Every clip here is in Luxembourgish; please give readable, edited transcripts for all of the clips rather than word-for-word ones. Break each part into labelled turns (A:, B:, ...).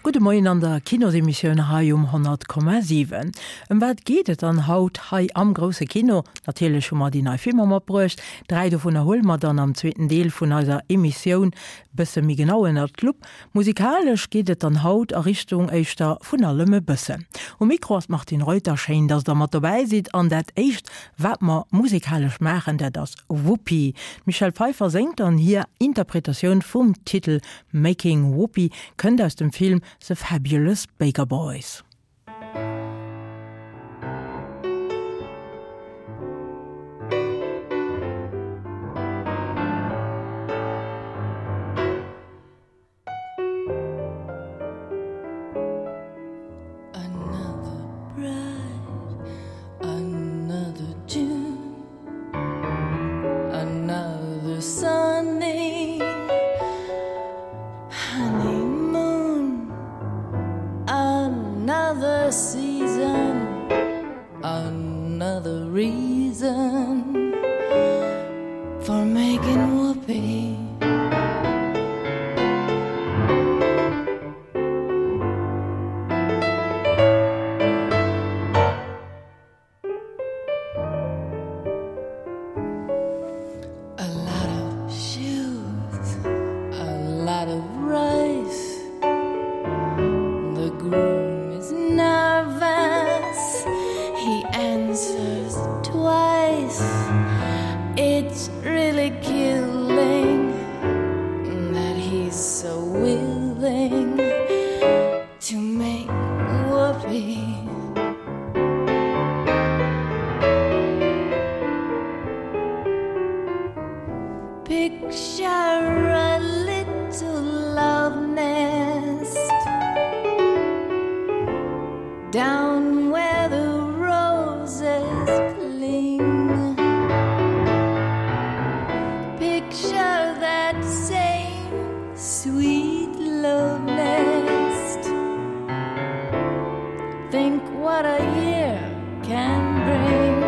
A: Gudde Moien an der Kinosemissioun hei um 100,7. Ëm wat geet et dann haut hei am grousse Kino? Natierlech hu mer déi nei Filmer matbruecht. Dräi dovunner huele mer dann am zweeten Deel vun eiser Emissioun bësse méi genau ënnert d'Lupp. Musikalesch geet et dann haut a Richtung éischter vun allem e bëssen. Um Mikro ass d'Martine Reuter. Schéin, dass der mat dobäi sidd. An dat éischt wat mer musikalesch maachen, dat ass Whoopi. D'Michelle Pfeiffer séngt an hir Interpretatioun vum Titel Making Whoopi kënnt aus dem Film The Fabulous Baker Boys.
B: Another bride, another June, another sunny honeymoon, another season, another reason for making whoopee. A lot of shoes, a lot of rice. The groom is nervous. He answers twice. It's really killing that he's so willing to make whoopee. Picture a little love nest down where the roses cling. Picture that same sweet love nest. Think what a year can bring.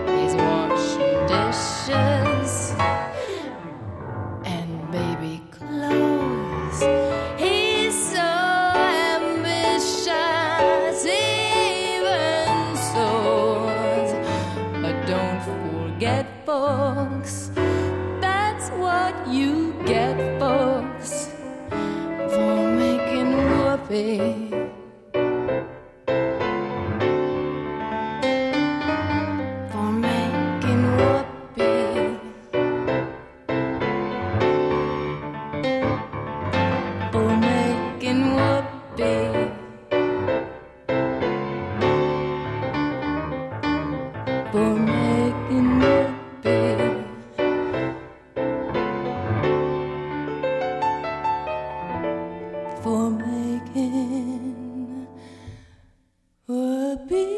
B: He's washing dishes and baby clothes. He's so ambitious, even soars. But don't forget, folks, that's what you get, folks, for making whoopee. For making whoopee. For making whoopee. For making whoopee. For making whoopee.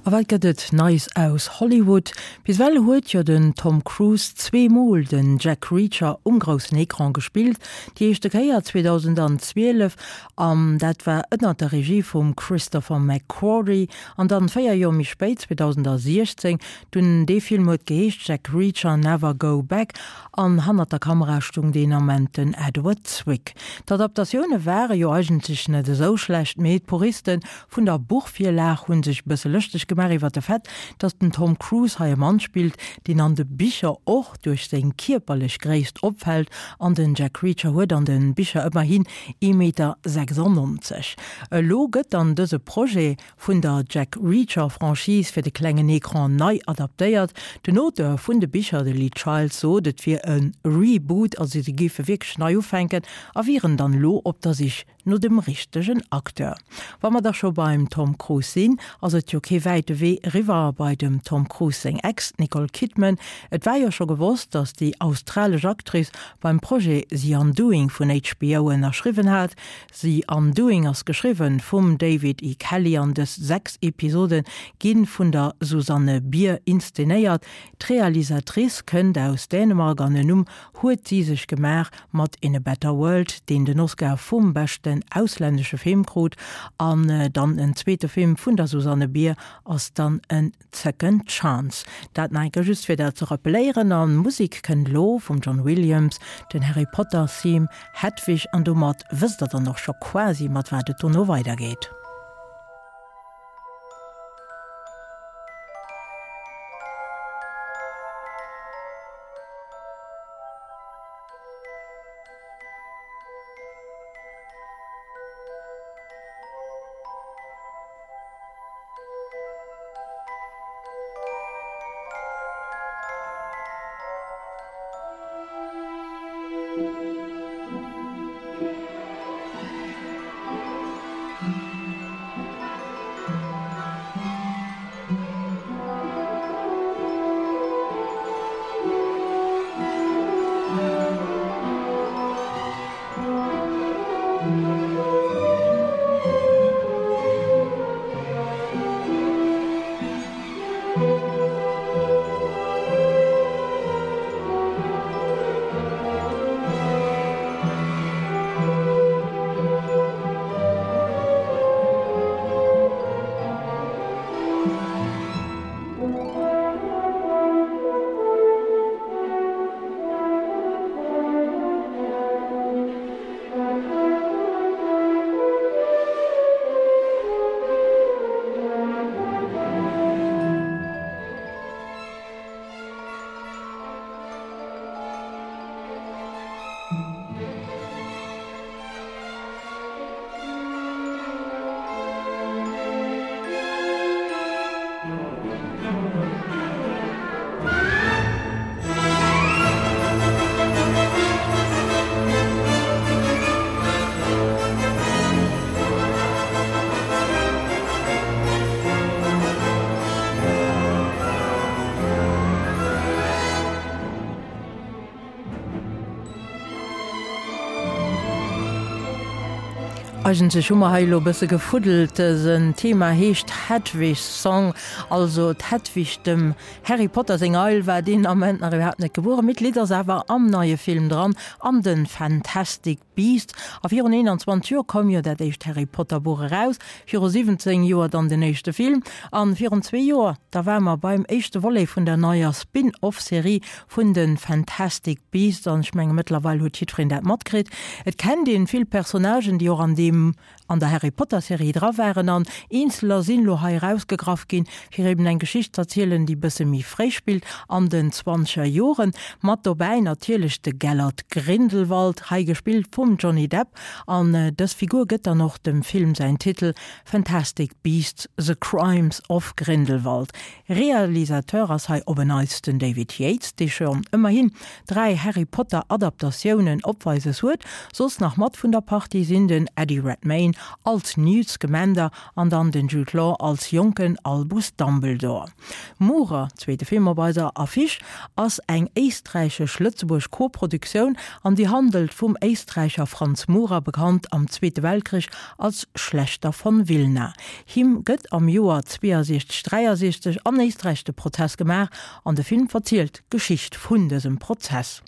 A: A wat gëtt et Neies aus Hollywood? Bis ewell huet jo den Tom Cruise zweemol den Jack Reacher um groussen Ecran gespillt. Déi éischte Kéier 2012 an dat war ënnert der Regie vum Christopher McQuarrie an dann 4 Joer méi spéit 2016, dunn dee Film huet geheescht Jack Reacher Never Go Back an hannert der Kamera stung deen Ament den Edward Zwick. D'Adaptatioune ware jo eigentlech net esou schlecht, mee d'Puriste vun der Buchvirlag hu sech e bësse lëschteg gemaach iwwer de Fait, datt den Tom Cruise hei e Mann spillt, deen an de Bicher och duerch seng kierperlech Gréisst opfält, an den Jack Reacher huet an de Bicher ëmmerhin ee Meter 96. Elo gëtt dann dëse Projet vun der Jack Reacher Franchise fir de klengen Ecran nei adaptéiert. Den Auteur vun de Bicher, de Lee Child, sot et wier e Reboot, also si géife wierklech nei ufänken a wieren dann elo op der Sich no dem richtegen Acteur. Wa mer da scho beim Tom Cruise sinn, ass et jo kee wäite Wee eriwwer bei dem Tom Cruise seng Ex, d'Nicole Kidman. Et war jo scho gewosst, datt déi australesch Actrice beim Projet The Undoing vun HBO ënnerschriwwen hat. The Undoing ass geschriwwen vum David E. Kelley an dës 6 Episode gi vun der Susanne Bier inszenéiert. D'Realisatrice kënnt aus Dänemark an en Numm huet si sech gemaach mat In a Better World, deen den Oscar vum beschte. beschten auslännesche Film krut an dann en zweete Film vun der Susanne Bier ass dann en Second Chance. Dat nach eng Kéier just fir dat ze rappeléieren. An Musek kënnt elo vum John Williams, den Harry Potter Theme Hedwig an domat wësst der dann och scho quasi mat wat et dono weidergeet. Eigentlech hu mer hei elo e bësse gefuddelt. Dësen Thema heescht Hedwig's Song, also d'Hedwig, dem Harry Potter seng Eil, war deen Ament nach iwwerhaapt net gebueren, mee d'Lidd ass awer am neie Film dran, an de Fantastic Beasts. A virun 21 Joer koum jo dat éischt Harry Potter Buch eraus, viru 17 Joer dann den éischte Film, an virun zwee Joer, da ware mer beim éischte Volet vun der neier Spin-off-Serie vun de Fantastic Beasts, an ech menge mëttlerweil huet jiddwereen dat matkritt. Et kennt een vill Personnagen, déi och an deem an der Harry Potter Serie dra waren an eenzeler sinn lo hei erausgegraff ginn, fir eben eng Geschicht z'erzielen, déi bësse méi fréi spillt, an den zwanzeger Joren. Mat dobäi natierlech de Gellert Grindelwald, hei gespillt vum Johnny Depp, an dës Figur gëtt dann och dem Film säin Titel, Fantastic Beasts, The Crimes of Grindelwald. Realisateur ass hei op en Neits den David Yates, dee schonn ëmmerhin 3 Harry Potter Adaptatiounen opweises huet. Soss nach mat vun der Partie sinn den Eddie Redmayne als Newt Scamander an dann den Jude Law als jonken Albus Dumbledore. Murer, zweete Film op eiser Affiche, ass eng éisträichesch-lëtzebuerg Koproduktioun an déi handelt vum Éisträicher Franz Murer, bekannt am Zweete Weltkrich als Schlächter von Wilna. Him gëtt am Joer 62 63 an Éisträich de Prozess gemaach an de Film verzielt d'Geschicht vun dësem Prozess.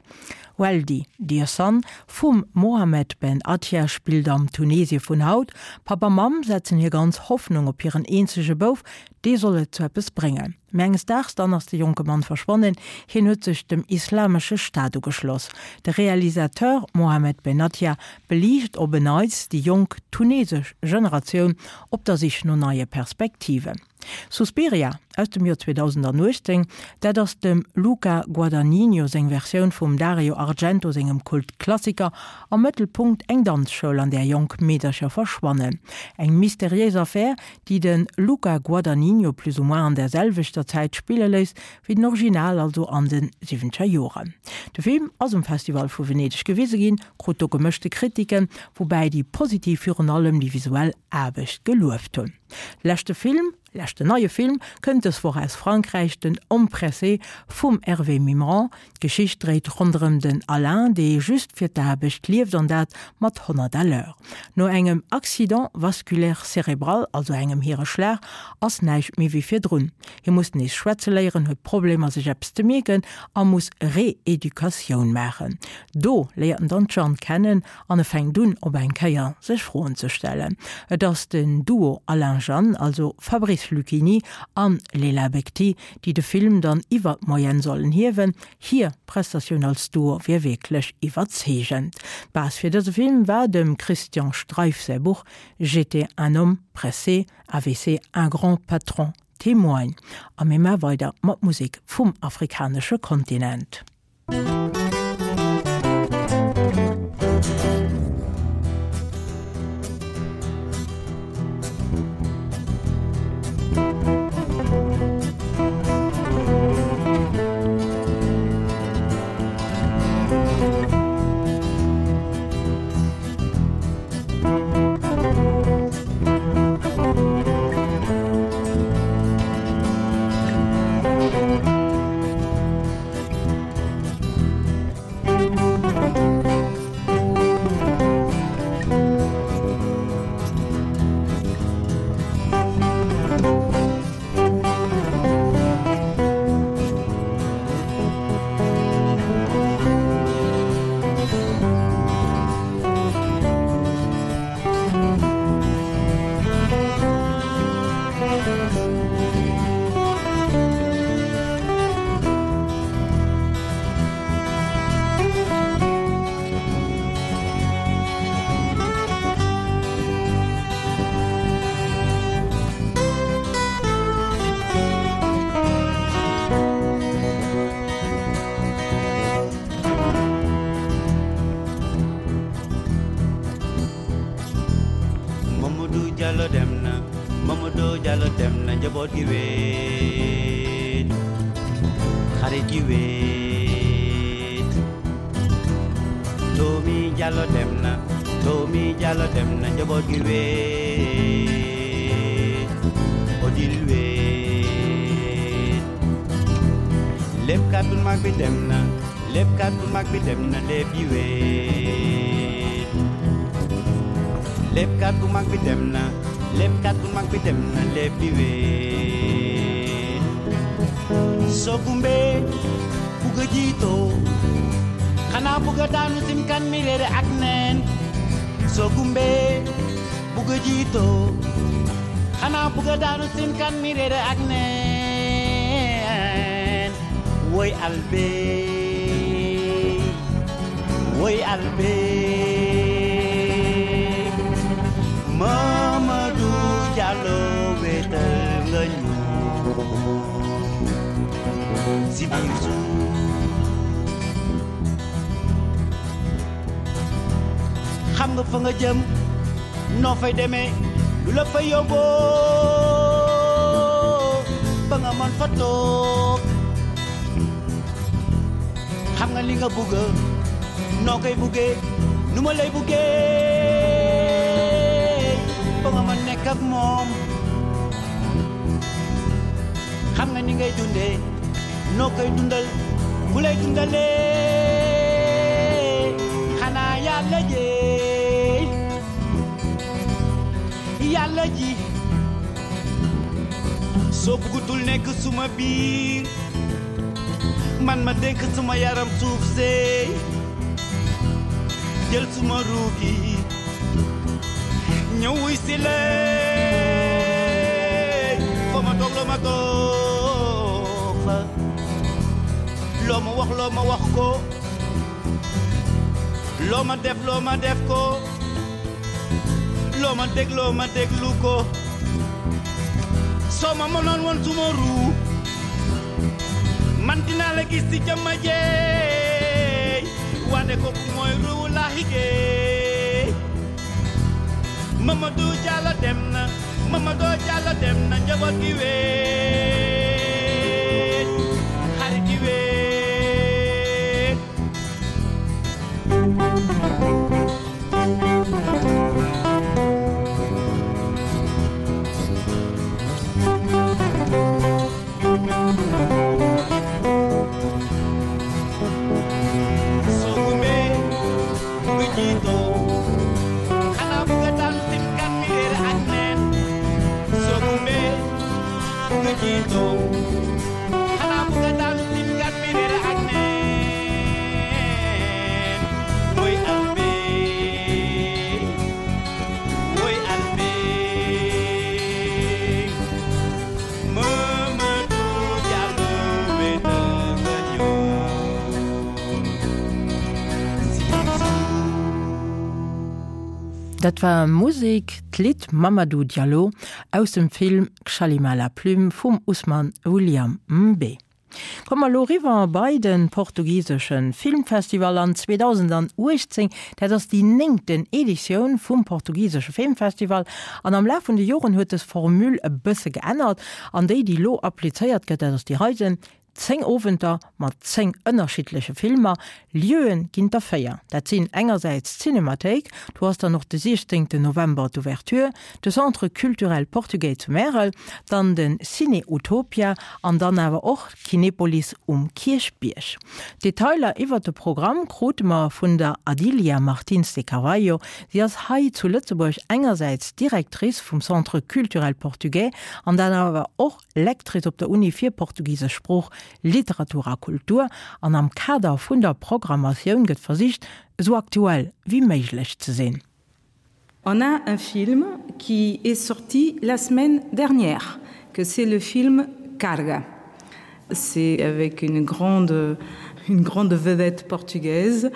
A: Weldy, Dear Son vum Mohamed Ben Attia spillt am Tunesie vun haut. Papp a Mamm setzen hir ganz Hoffnung op hiren eenzege Bouf, dee soll et zu eppes bréngen. Mä enges Daags dann ass de jonke Mann verschwonnen, hien huet sech dem Islamesche Staat ugeschloss. De Realisateur Mohamed Benattia beliicht op en Neits déi jonk tunesesch Generatioun op der Sich no neie Perspektiven. Suspiria aus dem Joer 2018, dat ass dem Luca Guadagnino seng Versioun vum Dario Argento sengem Kultklassiker. Am Mëttelpunkt eng Danzschoul, an där jonk Meedercher verschwannen. Eng mysteriéis Affär, déi de Luca Guadagnino plus ou moins an där selwechter Zäit spille léisst wéi den Original, also an de siwwenzeger Joren. De Film ass um Festival vu Venedeg gewise ginn, krut do gemëschte Kritiken, woubäi déi positiv virun allem déi visuell Aarbecht gelueft hunn. Leschte Film. Leschten neie Film kënnt dës Woch aus Frankräich, den Homme pressé vum Hervé Mimran. D'Geschicht dréit ronderëm den Alain, dee just fir d'Aarbecht lieft an dat mat 100 à l'heure. No engem Accident vasculaire cérébral, also engem Hiereschlag, ass näischt méi wéi virdrun. Hie muss nees schwätze léieren, huet Problemer sech eppes ze mierken a muss Reeducatioun maachen. Do léiert en dann d'Jeanne kennen an e fänkt un op eng Kéier sech Froen ze stellen. Et ass den Duo Alain-Jeanne, also Fabrice Luchini an Leila Bekhti, déi de Film dann iwwer d'Moyenne sollen hiewen. Hir Prestatioun als Duo wier wierklech iwwerzeegend. D'Base fir dëse Film war dem Christian Streiff säi Buch J'étais un homme pressé, AVC, un grand patron témoigne. A mir maa weider mat Musek vum afrikanesche Kontinent.
C: Mamadou Diallo dem na Mamadou Diallo dem na njaboot gi weet xarit yi weet Tomi Diallo dem na Tomi Diallo dem na njaboot gi weet Odile weet léppkat bu mag bi dem na léppkat bu mag bi dem na lépp yi weet léppkat bu mag bi dem na léppkat bu mag bi dem na lépp yi weet soo gumbee bugg a jiitoo xanaa bugg a daanu sim kan mi réere ak neen soo gumbee bugg a jiitoo xanaa bugg a daanu sim kan mi réere ak neen woy albe woy albe Mamadou Diallo wéetal nga ñu si biir suuf xam nga fa nga jëm noo fay demee lu la fa yóbboo ba nga mën fa toog xam nga li nga bëgg noo koy buggee nu ma lay buggee ba nga mën nekk ak moom xam nga ni ngay dundee noo koy dundal ku lay dundalee xanaa yàlla jeey yàlla ji soo bëggutul nekk suma biir man ma dénk suma yaram suuf seey jël suma ruugi ñëw wuy si leen fa ma toog loo ma toog fa loo ma wax loo ma wax ko loo ma def loo ma def ko loo ma dégloo ma déglu ko soo ma mënoon woon suma ruu man dinaa la gis ci jëmma jeey wande kooku mooy ruu laahi géey Mamadou Diallo dem na Mamadou Diallo dem na njaboot gi weet xarit yi weet
A: Dat war Musek, d'Lidd Mamadou Diallo aus dem Film Xalima la plume vum Ousmane William Mbe. Komme mer elo eriwwer bei de portugisesche Filmfestival an 2018. Dat ass déi néngten Editioun vum portugisesche Filmfestival an am Laf vun de Joren huet dës Formule e bësse geännert an déi, déi elo applizéiert gëtt, dat ass déi heiten, 10 Owenter mat 10 ënnerschiddleche Filmer. Lieuen ginn der 4. Dat sinn engersäits d'Cinémathéik, do ass dann och de 16 November d'Ouverture, de Centre Culturel Portugais zu Märel, dann de Ciné Utopia an dann awer och d'Kinepolis um Kierchbierg. Detailer iwwert de Programm krute mer vun der Adilia Martins de Carvalho. Si ass hei zu Lëtzebuerg engersäits Directrice vum Centre Culturel Portugais an dann awer och Lectrice op der Uni fir portugisesch Sprooch, Literatur a Kultur, an am Kader vun der Programmatioun gëtt versicht, esou aktuell wéi méiglech ze sinn.
D: On a un film qui est sorti la semaine dernière, que c'est le film Carga. C'est avec une grande, une grande vedette portugaise.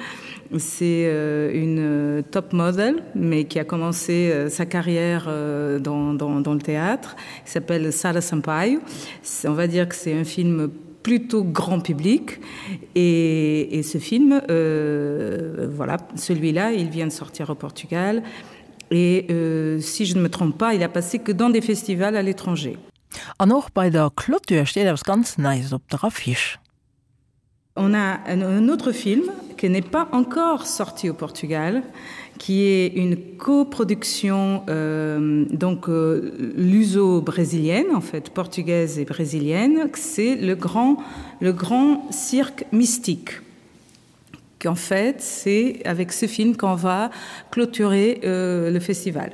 D: C'est euh, une euh, top model, mais qui a commencé euh, sa carrière dans, dans, dans le théâtre. Il s'appelle Sara Sampaio. On va dire que c'est un film plutôt grand public et, et ce film euh, voilà celui-là il vient de sortir au Portugal et euh, si je ne me trompe pas il a passé que dans des festivals à l'étranger.
A: An och bei der Clôture steet eppes ganz Neies op der Affiche.
D: On a un, un autre film qui n'est pas encore sorti au Portugal, qui est une coproduction euh, donc euh, luso-brésilienne en fait portugaise et brésilienne, c'est le grand, le grand cirque mystique qu'en fait c'est avec ce film qu'on va clôturer euh, le festival.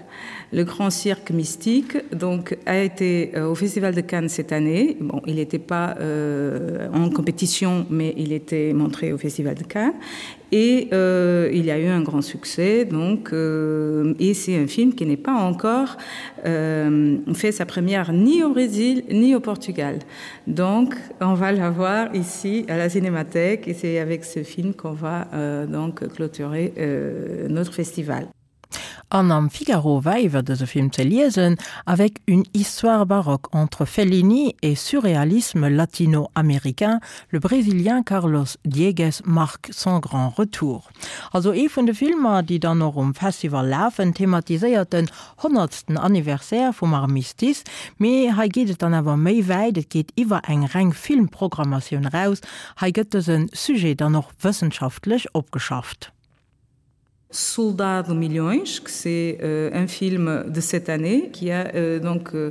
D: Le grand cirque mystique donc a été euh, au festival de Cannes cette année. Bon, il n'était pas euh, en compétition, mais il était montré au festival de Cannes et euh, il y a eu un grand succès donc euh, et c'est un film qui n'est pas encore euh, fait sa première ni au Brésil ni au Portugal. Donc on va la voir ici à la cinémathèque et c'est avec ce film qu'on va euh, donc clôturer euh, notre festival.
A: An am Figaro war iwwer dëse Film ze liesen, Avec une histoire baroque entre Fellini et surréalisme latino-américain, le Brésilien Carlos Diegues marque son grand retour. Also ee vun de Filmer, déi dann och um Festival lafen, thematiséiert den honnertsten Anniversaire vum Armistice. Mee hei geet et dann awer méi wäit, et geet iwwer eng reng Filmprogrammatioun eraus. Hei gëtt dëse Sujet dann och wëssenschaftlech opgeschafft.
D: Soldado Millions, que c'est euh, un film de cette année qui a euh, donc euh,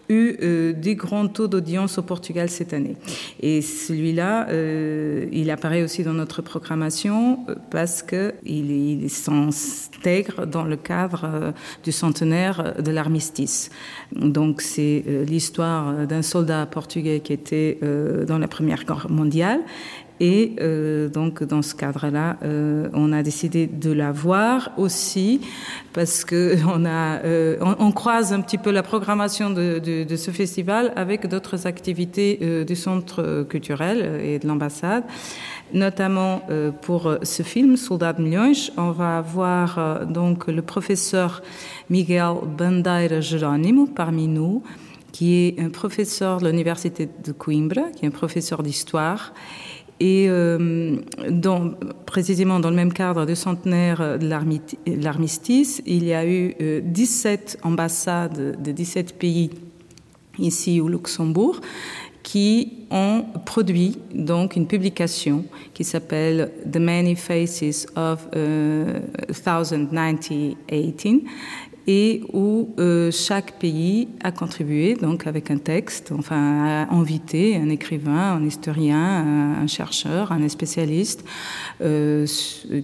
D: eu euh, des grands taux d'audience au Portugal cette année. Et celui-là, euh, il apparaît aussi dans notre programmation euh, parce qu'il il, il s'intègre dans le cadre euh, du centenaire de l'armistice. Donc c'est euh, l'histoire d'un soldat portugais qui était euh, dans la Première Guerre mondiale Et euh, donc dans ce cadre-là, euh, on a décidé de la voir aussi parce que on, a, euh, on, on croise un petit peu la programmation de, de, de ce festival avec d'autres activités euh, du centre culturel et de l'ambassade. Notamment euh, pour ce film Soldat de Millions, on va avoir euh, donc le professeur Miguel Bandeira Geronimo parmi nous, qui est un professeur de l'université de Coimbra, qui est un professeur d'histoire et euh, dans, précisément dans le même cadre du centenaire de l'armistice, il y a eu euh, 17 ambassades de 17 pays ici au Luxembourg qui ont produit donc une publication qui s'appelle The Many Faces of euh, 1918 et où euh, chaque pays a contribué donc avec un texte, enfin a invité un écrivain, un historien, un, un chercheur, un spécialiste euh,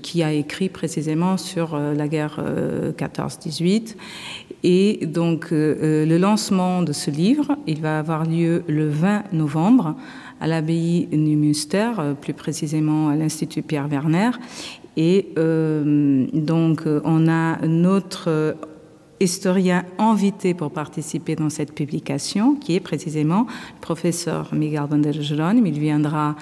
D: qui a écrit précisément sur euh, la guerre euh, 14-18. Et donc euh, euh, le lancement de ce livre, il va avoir lieu le 20 novembre à l'abbaye Numünster, euh, plus précisément à l'Institut Pierre Werner. Et euh, donc on a notre historien invité pour participer dans cette publication, qui est précisément le professeur Miguel van der Geron. Il viendra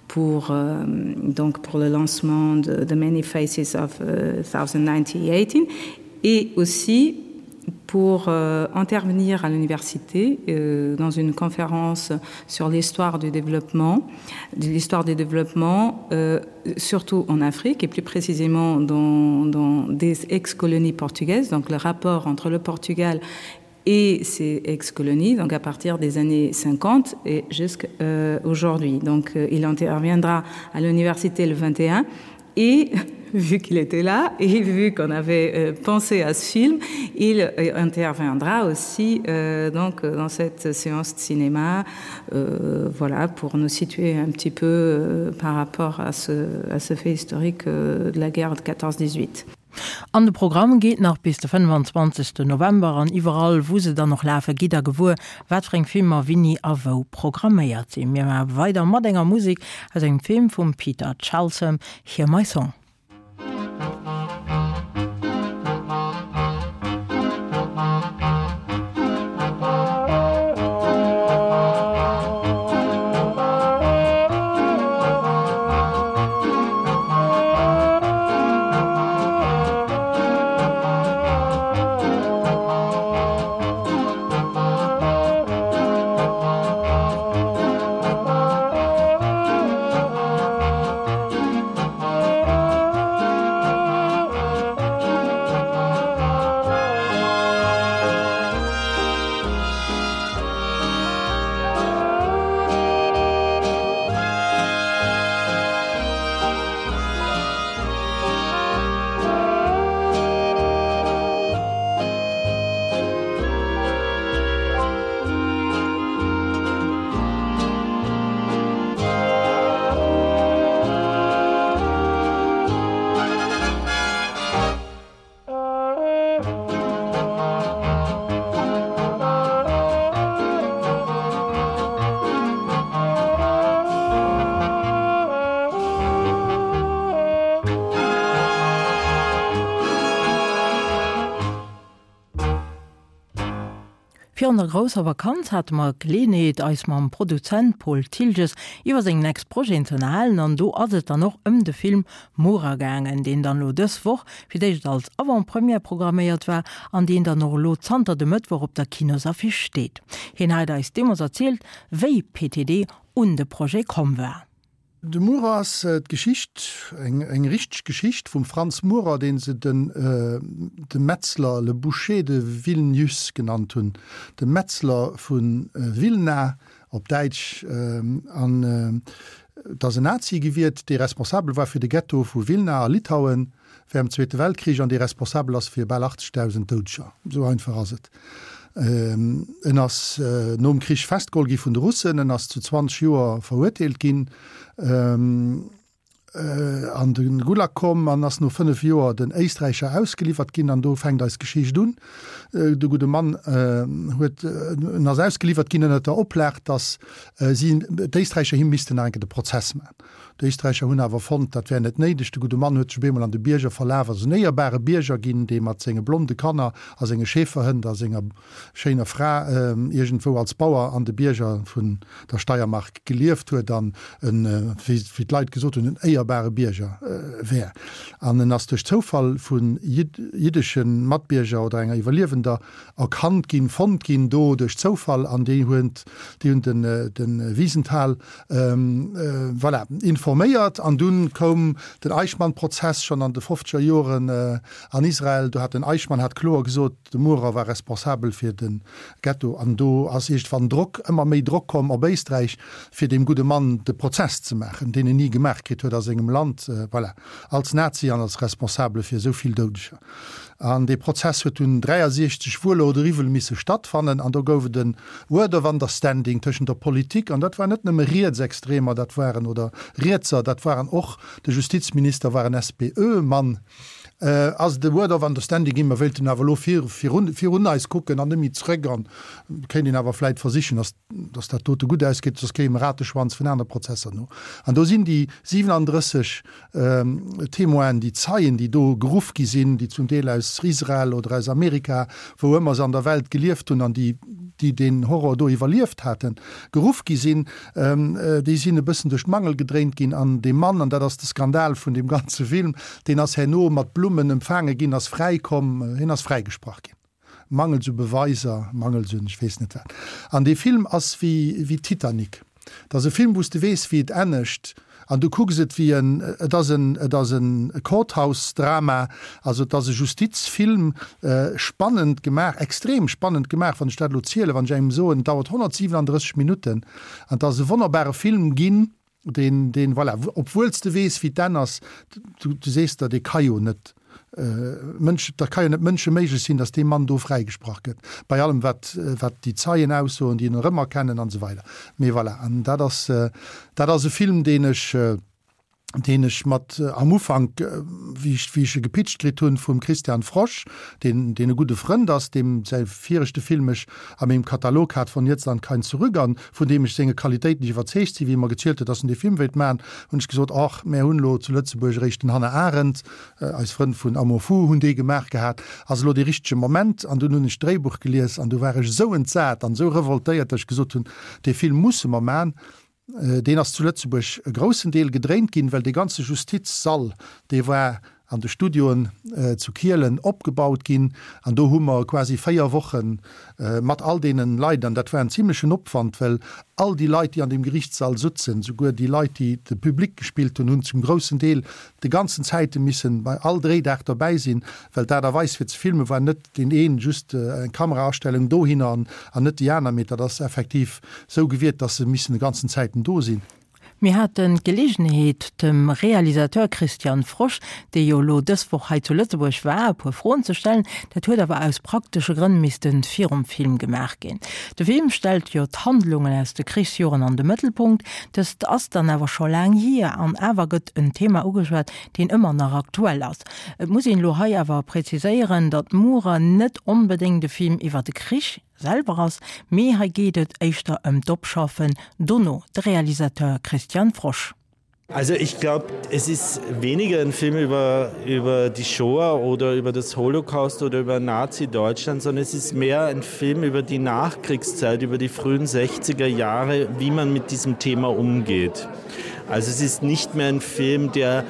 D: pour, euh, donc pour le lancement de The Many Faces of euh, 1918. Et aussi pour euh, intervenir à l'université euh, dans une conférence sur l'histoire du développement, de l'histoire du développement euh, surtout en Afrique et plus précisément dans, dans des ex-colonies portugaises, donc le rapport entre le Portugal et ses ex-colonies, donc à partir des années 50 et jusqu'à euh, aujourd'hui. Donc euh, il interviendra à l'université le 21 et vu qu'il était là et vu qu'on avait euh, pensé à ce film, il euh, interviendra aussi euh, donc dans cette séance de cinéma euh, voilà pour nous situer un petit peu euh, par rapport à ce, à ce fait historique euh, de la guerre de 14 18.
A: An de Programm geet nach bis de 25 November an iwwerall wou se dann och lafe gitt der gewuer wat fir eng Filmer winni a wou programméiert sinn. Mir maache weider mat enger Musek aus engem Film vum Peter Chelsom, Hear My Song. Virun der grousser Vakanz hate mer d'Geleeënheet, eis mam Produzent Paul Thiltges iwwer seng next Projeten ze ënnerhalen an do ass et dann och ëm de Film Mura gaangen, deen dann elo dës Woch fir d'éischt als Avant-Première programméiert war an deen dann och elo zanter de Mëttwoch op der Kinosaffiche steet. Hien hat eis deemools erzielt, wéi PTD un de Projet komm war.
E: De Murer ass d'Geschicht, eng richteg Geschicht vum Franz Murer, dee se den de Metzler, le Boucher de Vilnius genannt hunn, de Metzler vu Vilna op Däitsch. An et ass en Nazi gewiert, dee responsabel war fir de Ghetto vu Vilna a Litauen. Während dem Zweete Weltkrich an dee responsabel ass fir bal 80.000 Doudeger. Esou einfach ass et. En ass nom Krich festgeholl gi vun de Russen, en ass zu 20 Joer verurteelt ginn, an de Gulag komm an ass no 5 Joer den Éisträicher ausgeliwwert ginn. An do fänkt eis Geschicht un. De gudde Mann huet, en ass ausgeliwwert ginn ënnert der Oplag, datt si, d'Éisträicher him missten nach eng Kéier de Prozess maachen. D'Éisträicher hunn awer fonnt, dat wär net néideg. De gudde Mann huet sech op eemol an de Bierger verlaf, ass en éierbare Bierger ginn, dee mat senge blonde Kanner a senge Schäferhënd a senger schéiner Fra iergendwou als Bauer an de Bierger vun der Steiermark gelieft huet an en, wéi d'Leit gesot hunn, en éierbare Bierger wär. An en ass duerch Zoufall vu jiddesche Matbierger oder enger Iwwerliewender erkannt ginn, fonnt ginn do duerch Zoufall an déi hunn den de Wiesenthal Voilà, informéiert. An dunn koum den Eichmann-Prozess schonn an de fofzeger Joren an Israel. Do hat den Eichmann hat kloer gesot, de Murer war responsabel fir de Ghetto. An do ass iergendwann Drock, ëmmer méi Drock komm op Éisträich, fir deem gudde Mann de Prozess ze maachen, deen en ni gemaach kritt huet a sengem Land, voilà, als Nazi an als Responsabele fir esou vill Doudeger. An dee Prozess huet dunn 63 wuel oder iwwel misse stattfannen. An do gouf et e Word of Understanding tëschent der Politik, an dat waren net nëmme Rietsextremer, dat waren, oder Rietser, dat waren och, de Justizminister war en SPÖ-Mann, ass et e Word of Understanding ginn, mer wéilten awer elo virun, virun eis kucken an net méi zrëck an kéint een awer vläit versichen, dass, dass dat dote gutt ausgeet, soss kréie mer Rateschwanz vun anere Prozesser no. An do sinn déi 37 Témoinen, déi Zeien, déi do geruff gi sinn, déi zum Deel aus Israel oder aus Amerika, wou ëmmer se an der Welt gelieft hunn an déi. déi deen Horror do iwwerlieft haten, geruff gi sinn, déi sinn e bëssen duerch d'Mangel gedréint ginn an dee Mann, an dat ass de Skandal vun deem ganze Film, deen ass herno mat Blummen empfaange ginn, ass fräikomm, hien ass fräigesprach ginn. Mangels u Beweiser, mangels un ech weess net wat. An dee Film ass wéi wéi Titanic. Et ass e Film, wou s de weess, wéi et ennegt an du kucks et wéi en, et ass en, et ass en Courthouse-Drama, also et ass e Justizfilm, spannend gemaach, extrem spannend gemaach, wann ech dat elo zielen, wann ech engem soen, et dauert 137 Minutten an et ass e wonnerbare Film ginn. Deen, deen, voilà, obwuel s de weess, wéi d'Enn ass, du, du sees der, dee ka jo net Mënsch, dat ka jo net mënscheméiglech sinn, datt dee Mann do fräigesprach gëtt, bei allem wat, wat déi Zeien aussoen, déi en erëmerkennen an esou weider. Mee voilà, an dat ass, dat ass e Film, deen ech, deen ech mat am Ufank, wéi ech, wéi ech e gepitcht kritt hunn vum Christian Frosch, deen, deen e gudde Frënd ass, deem säi viregte Film ech a mengem Katalog hat, Von jetzt an kein Zurück, an vun deem ech senge Qualitéiten nicht iwwerzeegt sinn. Wéi e mer gezielt huet, dass en dee Film wéilt maachen, hunn ech gesot, Och, mär hunn elo zu Lëtzebuerg eréischt den Hannah Arendt, eis Frënn vun Amour fou hunn dee gemaach gehat, ass elo dee richtege Moment? An dunn hunn ech d'Dréibuch gelies an du war ech esou entsat an esou revoltéiert, dass ech gesot hunn, Dee Film musse mer maachen. Deen ass zu Lëtzebuerg e groussen Deel gedréint ginn, well dee ganze Justizsall, dee war an de Studioen zu Kielen opgebaut ginn. An do hu mer quasi 4 Woche mat all deene Leit, an dat war en zimlechen Opwand, well all déi Leit, déi an deem Gerichtssall sutzen, souguer déi Leit, déi de Public gespillt hunn, hunn zum groussen Deel de ganzen Zäite missen bei all Dréidag derbäi sinn, well d'Aart a Weis fir ze filmen war net deen een just eng Kameraastellung dohinner an an net déi aner, mee dat ass effektiv sou gewiert, dass se missen de ganzen Zäiten do sinn.
A: Mir haten d'Gelegenheet, dem Realisateur Christian Frosch, dee jo elo dës Woch hei zu Lëtzebuerg war, e puer Froen ze stellen. Dat huet awer aus praktesche Grënn misste virum Film gemaach ginn. De Film stellt jo d'Handlungen aus de Krichsjoren an de Mëttelpunkt. Dëst ass dann awer scho laang hier an awer gëtt en Thema ugeschwat, deen ëmmer nach aktuell ass. Et muss een elo hei awer präziséieren, datt Murer net onbedéngt e Film iwwer de Krich selwer ass, mee hei geet et éischter ëm d'Opschaffen dono. De Realisateur Christian Frosch.
F: Also ich glaube, es ist weniger ein Film über, über die Shoah oder über das Holocaust oder über Nazi-Deutschland, sondern es ist mehr ein Film über die Nachkriegszeit, über die frühen 60er Jahre, wie man mit diesem Thema umgeht. Also es ist nicht mehr ein Film, der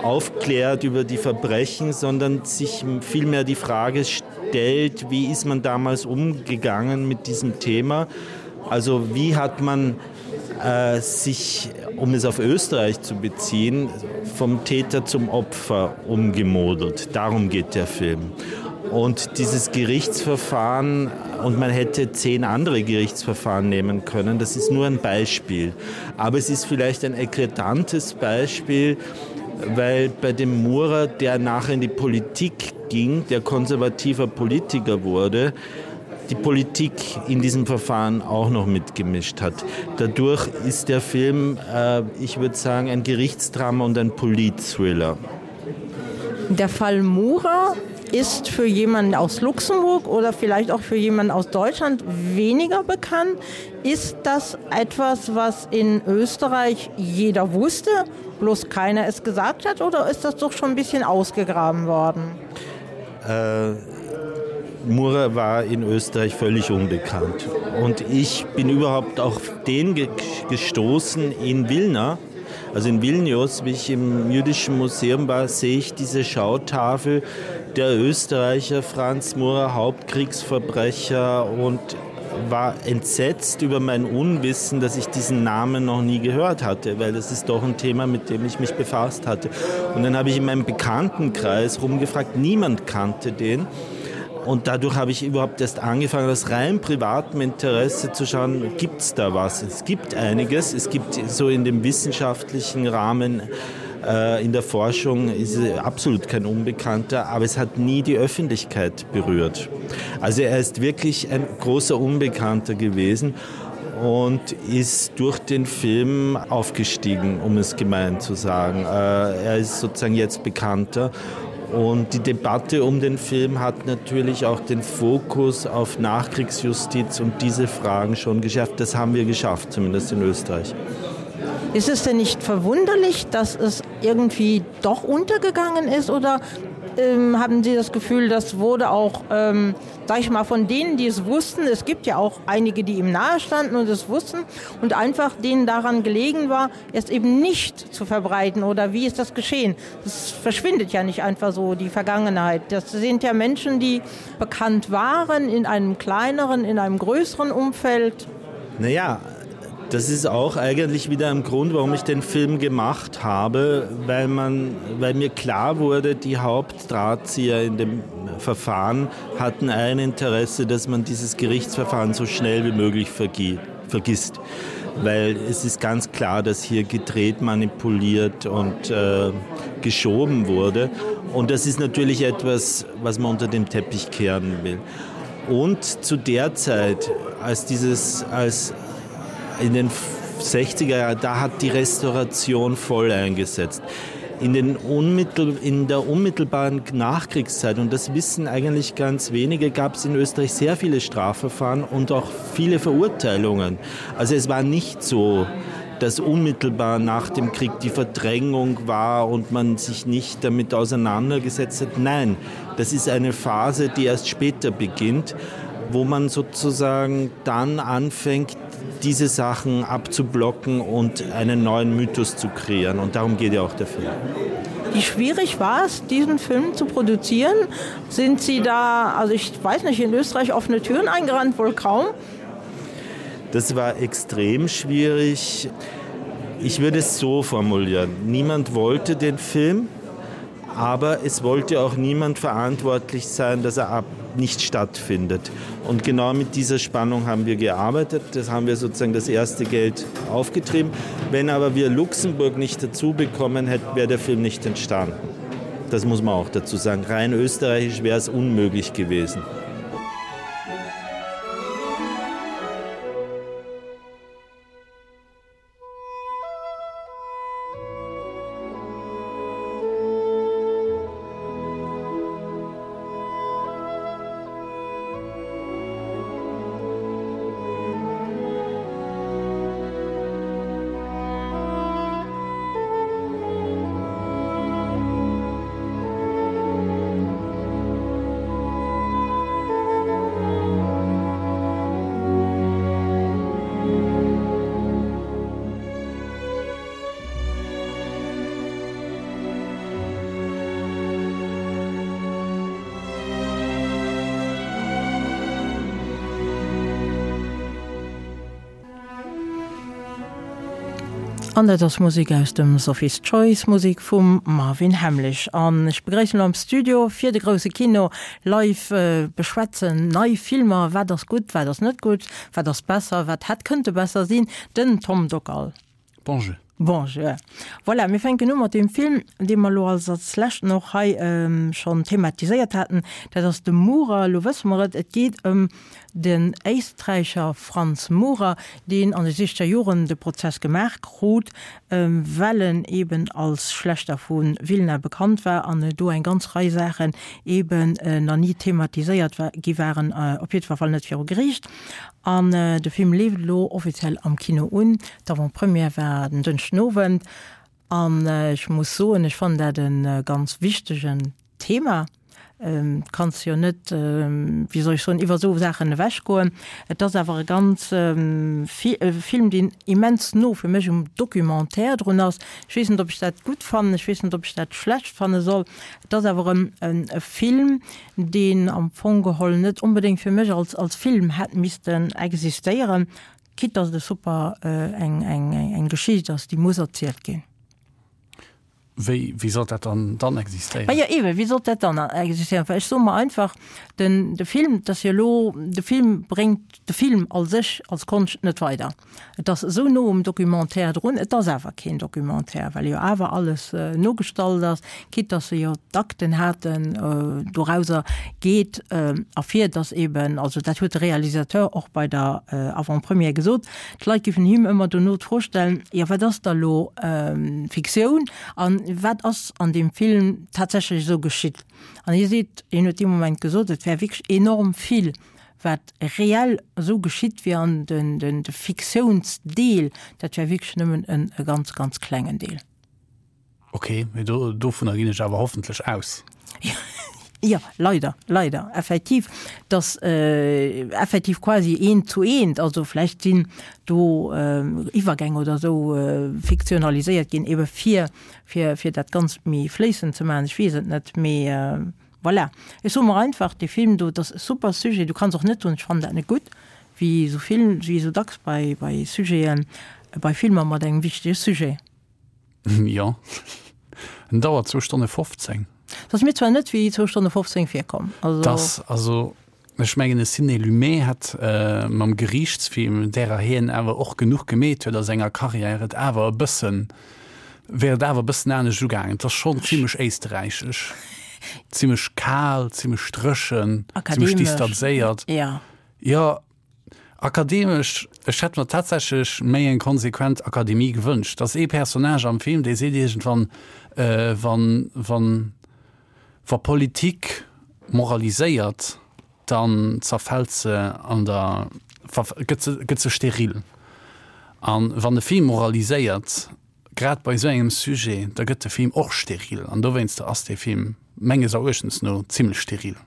F: aufklärt über die Verbrechen, sondern sich vielmehr die Frage stellt, wie ist man damals umgegangen mit diesem Thema? Also wie hat man äh, sich, um es auf Österreich zu beziehen, vom Täter zum Opfer umgemodelt. Darum geht der Film. Und dieses Gerichtsverfahren und man hätte zehn andere Gerichtsverfahren nehmen können, das ist nur ein Beispiel. Aber es ist vielleicht ein eklatantes Beispiel, weil bei dem Murer, der nachher in die Politik ging, der konservativer Politiker wurde, die Politik in diesem Verfahren auch noch mitgemischt hat. Dadurch ist der Film, äh, ich würde sagen, ein Gerichtsdrama und ein Politthriller.
A: Der Fall Mura ist für jemanden aus Luxemburg oder vielleicht auch für jemanden aus Deutschland weniger bekannt. Ist das etwas, was in Österreich jeder wusste, bloß keiner es gesagt hat oder ist das doch schon ein bisschen ausgegraben worden?
F: Äh, Mura war in Österreich völlig unbekannt. Und ich bin überhaupt auf den gestoßen in Wilna. Also in Vilnius, wie ich im jüdischen Museum war, sehe ich diese Schautafel der Österreicher Franz Murer, Hauptkriegsverbrecher und war entsetzt über mein Unwissen, dass ich diesen Namen noch nie gehört hatte, weil das ist doch ein Thema, mit dem ich mich befasst hatte. Und dann habe ich in meinem Bekanntenkreis rumgefragt, niemand kannte den. Und dadurch habe ich überhaupt erst angefangen, aus rein privatem Interesse zu schauen, gibt es da was? Es gibt einiges. Es gibt so in dem wissenschaftlichen Rahmen äh, in der Forschung ist er absolut kein Unbekannter, aber es hat nie die Öffentlichkeit berührt. Also er ist wirklich ein großer Unbekannter gewesen und ist durch den Film aufgestiegen, um es gemein zu sagen. Äh, er ist sozusagen jetzt bekannter. Und die Debatte um den Film hat natürlich auch den Fokus auf Nachkriegsjustiz und diese Fragen schon geschafft. Das haben wir geschafft, zumindest in Österreich.
A: Ist es denn nicht verwunderlich, dass es irgendwie doch untergegangen ist oder? Ähm, haben Sie das Gefühl, das wurde auch ähm, sag ich mal von denen, die es wussten, es gibt ja auch einige, die ihm nahe standen und es wussten und einfach denen daran gelegen war, es eben nicht zu verbreiten oder wie ist das geschehen? Das verschwindet ja nicht einfach so die Vergangenheit. Das sind ja Menschen, die bekannt waren in einem kleineren, in einem größeren Umfeld.
F: Naja, das ist auch eigentlich wieder ein Grund, warum ich den Film gemacht habe, weil man weil mir klar wurde, die Hauptdrahtzieher in dem Verfahren hatten ein Interesse, dass man dieses Gerichtsverfahren so schnell wie möglich vergisst. Weil es ist ganz klar, dass hier gedreht, manipuliert und äh, geschoben wurde. Und das ist natürlich etwas, was man unter dem Teppich kehren will. Und zu der Zeit, als dieses als in den 60er Jahren, da hat die Restauration voll eingesetzt. In, den unmittel, in der unmittelbaren Nachkriegszeit, und das wissen eigentlich ganz wenige, gab es in Österreich sehr viele Strafverfahren und auch viele Verurteilungen. Also es war nicht so, dass unmittelbar nach dem Krieg die Verdrängung war und man sich nicht damit auseinandergesetzt hat. Nein, das ist eine Phase, die erst später beginnt, wo man sozusagen dann anfängt, diese Sachen abzublocken und einen neuen Mythos zu kreieren. Und darum geht ja auch der Film.
A: Wie schwierig war es, diesen Film zu produzieren? Sind Sie da, also ich weiß nicht, in Österreich offene Türen eingerannt, wohl kaum?
F: Das war extrem schwierig. Ich würde es so formulieren. Niemand wollte den Film, aber es wollte auch niemand verantwortlich sein, dass er ab nicht stattfindet. Und genau mit dieser Spannung haben wir gearbeitet. Das haben wir sozusagen das erste Geld aufgetrieben. Wenn aber wir Luxemburg nicht dazu bekommen hätten, wäre der Film nicht entstanden. Das muss man auch dazu sagen. Rein österreichisch wäre es unmöglich gewesen.
A: An dat ass Musek aus dem Sophie's Choice, Musek vum Marvin Hamlisch. An ech begréissen elo am Studio fir de grousse Kino live beschwätzen nei Filmer, wat ass gutt, wat ass net gutt, wat ass besser, wat hätt kënnte besser sinn, den Tom Dockal.
G: Bonjour.
A: Bonjour. Voilà, mir fänken u mat deem Film, dee mer elo als als leschten och hei schonn thematiséiert haten. Dat ass de Murer. Elo wësse mer et, et geet ëm den Éisträicher Franz Murer, deen an de sichzeger Joren de Prozess gemaach krut, well en eben als Schlächter vu Wilna bekannt war an do eng ganz Rei Saachen eben nach ni thematiséiert gi waren, op jiddwer Fall net viru Geriicht. An de Film leeft elo offiziell am Kino un. D'Avant-première war den Dënschden Owend. An ech muss soen, ech fannen dat e ganz wichtegen Thema. Du kanns jo net, wéi soll ech soen, iwwer esou Saachen ewechgoen. Et ass awer e ganz e Film, deen immens no fir mech um Documentaire drun ass. Ech weess net, ob ech dat gutt fannen, ech weess net, ob ech dat schlecht fanne soll. Et ass awer e Film, deen am Fong geholl net onbedéngt fir mech als als Film hätt missten existéieren, quitte dass et e super eng eng eng Geschicht ass, déi muss erzielt ginn.
G: Wéi wéi sollt dat dann dann existéieren?
A: Ma jo eeben, wéi sollt dat dann existéieren? Well ech soe mer einfach, den de Film, dat ass jo elo, de Film bréngt de Film als sech, als Konscht net weider. Et ass esou no um Documentaire drun, et ass awer keen Documentaire, well jo awer alles nogestallt ass, quitte dass se jo d'Akten haten. Dorauser geet ervir, dass eben, also dat huet de Réalisateur och bei der Avant-première gesot, d'Leit géifen him ëmmer dono d'Fro stellen, jo wat ass da lo Fiktioun a wat ass an deem Film tatsächlech esou geschitt? An hie seet, hien huet dee Moment gesot, et wär wierklech enorm vill Wat reell esou geschitt wier an de Fiktiounsdeel, dat wär wierklech nëmmen e ganz, ganz klengen Deel.
G: Ok, mee dovunner ginn ech awer hoffentlech aus.
A: Jo, leider, leider, effektiv, dass effektiv quasi eent zu eent, also vläicht sinn do Iwwergäng oder esou fiktionaliséiert ginn, ebe fir, fir, fir dat Ganzt méi fléissend ze maachen, ech weess et net, mee voilà. Ech soe mer einfach, dee Film do, dat ass e super Sujet, du kanns och net soen, ech fannen dat net gutt, wéi esou vill, wéi esou dacks bei, bei Sujeten, bei Filmer mat engem wichtege Sujet.
G: Jo, en dauert zwou Stonne 15.
A: Et ass mir zwar net wéi zwou Stonne 15 virkomm.
G: Also. Dass, also ech mengen e Sidney Lumet hätt mam Geriichtsfilm, därer hien awer och genuch gemeet huet a senger Karriär, et awer e bëssen, wär et awer e bëssen anescht ugaangen. Et ass schonn zimlech éisterräichesch, zimlech kal, zimlech dréchen, zimlech distanzéiert.
A: Jo.
G: Jo. Akademesch, ech hätt mer tatsächlech méi eng konsequent Akademie gewënscht. Dass ee Personnage am Film, dee seet iergendwann, wann, wann, wa Politik moraliséiert, dann zerfält se an der, gëtt se, gëtt se steril. A wann e Film moraliséiert, grad bei esou engem Sujet, da gëtt de Film och steril. An dowéinster ass dee Film menges Eruechtens no zimlech steril.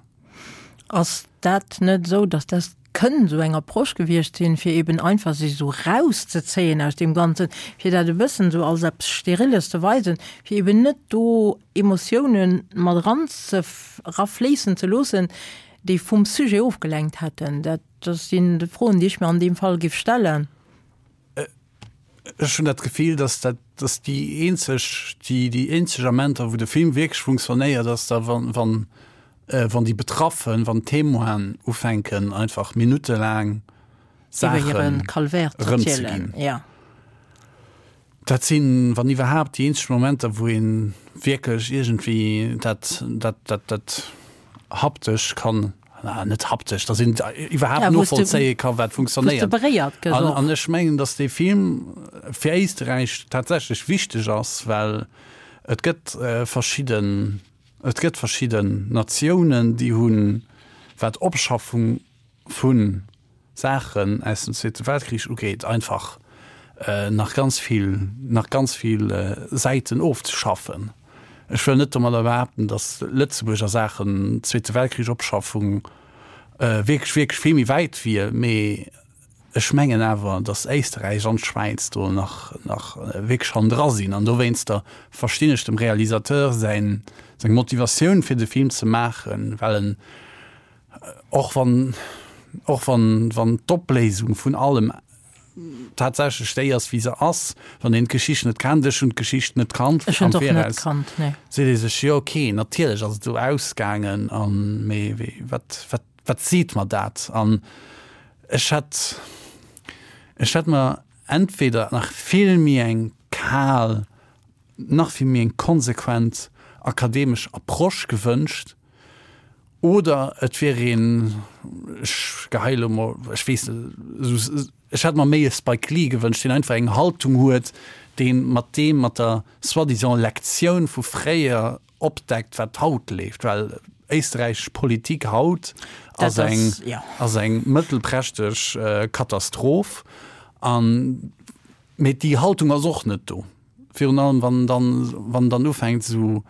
A: Ass dat net esou, datt dat kënnt esou eng Approche gewiescht sinn, fir eben einfach sech esou rauszezéien aus deem Ganzen, fir dat e bëssen esou als eppes Steriles ze weisen, fir eben net do Emotiounen mat eran ze erafléissen ze loossen, déi vum Sujet ofgelenkt hätten? Dat sinn Froen, déi ech mir an deem Fall géif stellen.
G: Ech hunn dat Gefill, dass dat, dass déi eenzeg, déi, déi eenzeg Amenter, wou de Film wierklech funktionéiert, ass da wann, wann, wann déi Betraffen, wann d'Témoinen ufänken einfach minuttelaang
A: Saachen erëmzeginn. Ja.
G: Dat sinn, wann iwwerhaapt, déi eenzeg Momenter, wou ee wierklech iergendwéi dat, dat, dat, dat haptesch kann, na, net haptesch, dass een iwwerhaapt novollzéie ka wat funktionéiert. An, an ech mengen, dass dee Film fir Éisterräich tatsächlech wichteg ass, well et gëtt verschidden, et gëtt verschidden Natiounen, déi hunn, wat Opschaffung vu Saachen aus dem Zweete Weltkrich ugeet, einfach nach ganz vill, nach ganz vill Säiten ofzeschaffen. Ech wëll net domadder behaapten, datt Lëtzebuerg a Saachen Zweete Weltkrich-Opschaffung wierklech, wierklech vill méi wäit wier, mee ech mengen awer, datt Éisterräich an d'Schwäiz do nach, nach wierklech hannendra sinn. An dowéinster verstinn ech dem Realisateur säin, seng Motivatioun fir de Film ze maachen, well en Och wann, och wann, wann d'Opléisung vun allem tatsächlech déi ass, wéi se ass, wann een d'Geschicht net kennt, ech hunn d'Geschicht net kannt
A: Ech hunn am et och net kannt, nee.
G: seet ee sech, jo okay, natierlech ass et esou ausgaangen an, mee wéi, wat, wat, wat seet mer dat? An ech hätt, ech hätt mer entweder nach vill méi eng kal, nach vill méi eng konsequent akademesch Approche gewënscht, Oder et wier een, ech geheie lo mol, ech weess net, esou, ech hätt mer méi e Spike Lee gewënscht, deen einfach eng Haltung huet, dee mat deem, mat der soi-disant Lektioun vu fréier opdeckt, wat haut leeft. Well éisterräichesch Politik haut ass eng, ass eng mëttelprächteg Katastroph. An, mee déi Haltung ass och net do. Virun allem wann en dann, wann en dann ufänkt esou,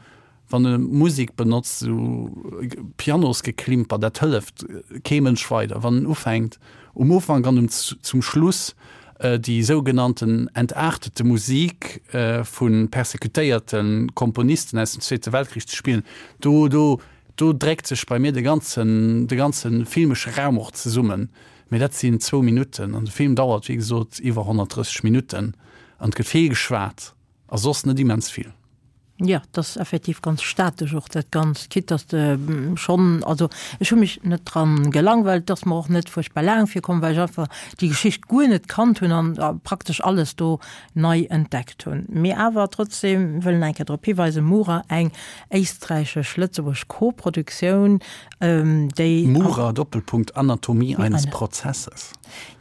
G: wann e Musek benotzt, esou Pianosgeklimper, dat hëlleft kee Mënsch weider. Wann en ufänkt um Ufank an um zum Schluss déi sougenannten entartete Musik vu persecutéierte Komponisten aus dem Zweete Weltkrich ze spillen, do, do, do dréckt sech bei mir de ganzen, de ganze filmesche Raum och zesummen. Mee dat sinn zwou Minutten an de Film dauert, wéi gesot, iwwer 130 Minutten. An et gëtt vill geschwat a soss net immens vill.
A: Jo, et ass effektiv ganz statesch och dat Ganzt, quitte dass de schonn, also ech hu mech net dran gelangweilt, et ass mer och net fuerchtbar laang virkomm, well ech einfach déi Geschicht guer net kannt hunn an praktesch alles do nei entdeckt hunn. Mee awer trotzdem wëllen eng Kéier drop hiweisen, Mura, eng éisträichesch-lëtzebuergesch Koproduktioun, déi.
G: Mura, Doppelpunkt, Anatomie eines Prozesses.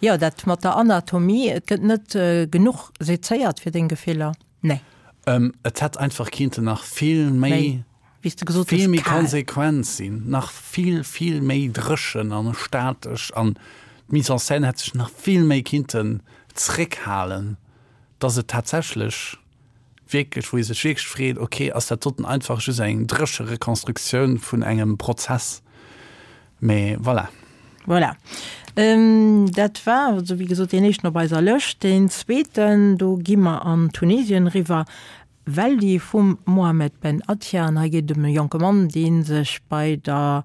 A: Jo, dat mat der Anatomie, et gëtt net genuch sezéiert fir deng Gefiller? Nee.
G: Et hätt einfach kinnten nach vill méi,
A: wéi s de gesot
G: hues, vill méi konsequent sinn, nach vill, vill méi dréchen an statesch an d'Mise en scène hätt sech nach vill méi kinnten zréckhalen, dass et tatsächlech. wierklech, wou ee sech wierklech freet, okay, ass dat doten einfach just eng dréche Rekonstruktioun vun engem Prozess? Mee voilà.
A: Voilà. Dat war also wéi gesot deen éischten op eiser Lëscht. Deen zweeten, do gi mer an Tunesien eriwwer, Weldi vum Mohamed Ben Attia. An hei geet et ëm e jonke Mann, dee sech bei der,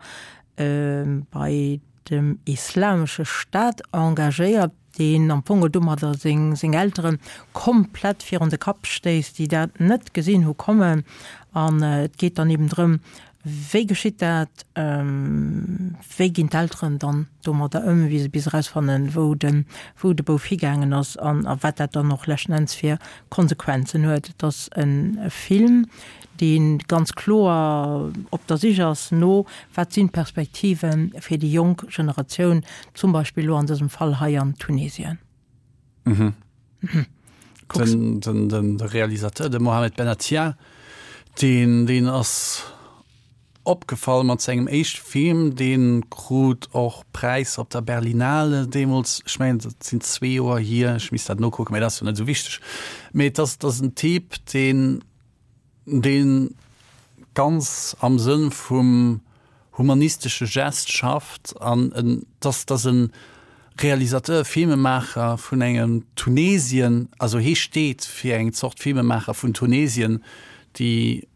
A: bei dem Islamesche Staat engagéiert, deen am Fong domadder seng seng Eltere komplett virun de Kapp stéisst, déi dat net gesinn hu kommen. An et geet dann eben drëm, wéi geschitt dat, wéi ginn d'Elteren dann domadder ëm, wéi se bis erausfannen, wou de wou de Bouf higaangen ass an a wat dat dann och leschten Enns fir Konsequenzen huet. Et ass e Film, dee ganz kloer op der Sich ass no, wat sinn d'Perspektive fir déi jonk Generatioun, zum Beispill elo an dësem Fall hei an Tunesien.
G: Mhm. Mhm. Den, den, den, de Realisateur, de Mohamed Benatia, deen, deen ass opgefall mat sengem éischte Film, dee krut och Präisser op der Berlinale deemools, ech mengen dat sinn zwee Joer hier, ech misst dat nokucken, mä dat ass jo net esou wichteg. Mee et ass, et ass en Typ, deen, deen ganz am Sënn vum humanistesche Gest schafft an en, dass, dass e Realisateur, Filmemaacher vun engem Tunesien, also hee steet fir eng Zort Filmemaacher vun Tunesien, déi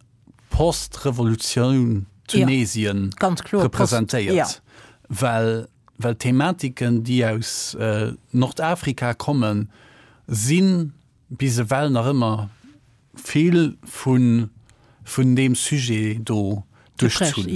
G: Post-Revolutioun Tunesien representéiert, well well d'Thematiken, déi aus Nordafrika kommen, si bis ewell nach ëmmer vill vun vun deem Sujet do duerchzunn.